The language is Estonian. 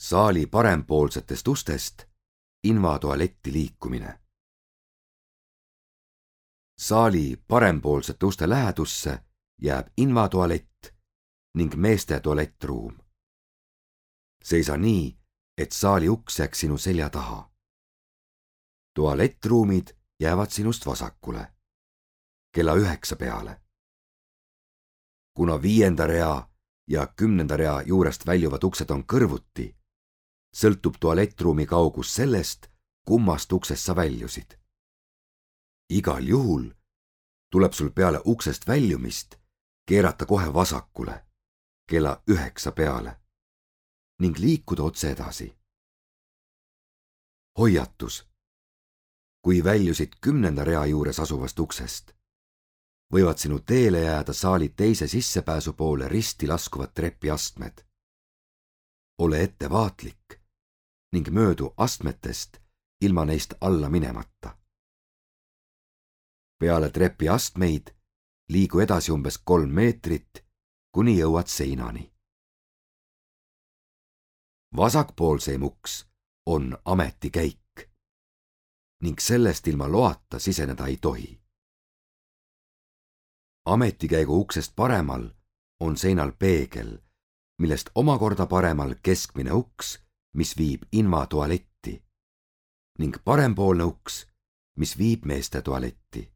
Saali parempoolsetest ustest invatualetti liikumine. Saali parempoolsete uste lähedusse jääb invatualett ning meeste tualettruum. Seisa nii, et saali uks jääks sinu selja taha. Tualettruumid jäävad sinust vasakule, kella 9 peale. Kuna 5. rea ja 10. rea juurest väljuvad uksed on kõrvuti, sõltub tualettruumi kaugus sellest, kummast uksest sa väljusid. Igal juhul tuleb sul peale uksest väljumist keerata kohe vasakule, kella 9 peale ning liikuda otse edasi. Hoiatus. Kui väljusid 10. rea juures asuvast uksest, võivad sinu teele jääda saali teise sissepääsu poole risti laskuvad trepiastmed. Ole ettevaatlik ning möödu astmetest ilma neist alla minemata. Peale trepiastmeid liigu edasi umbes 3 meetrit, kuni jõuad seinani. Vasakpoolseim uks on ametikäik ning sellest ilma loata siseneda ei tohi. Ametikäigu uksest paremal on seinal peegel, millest omakorda paremal keskmine uks, mis viib invatualetti ning parempoolne uks, mis viib meeste tualetti.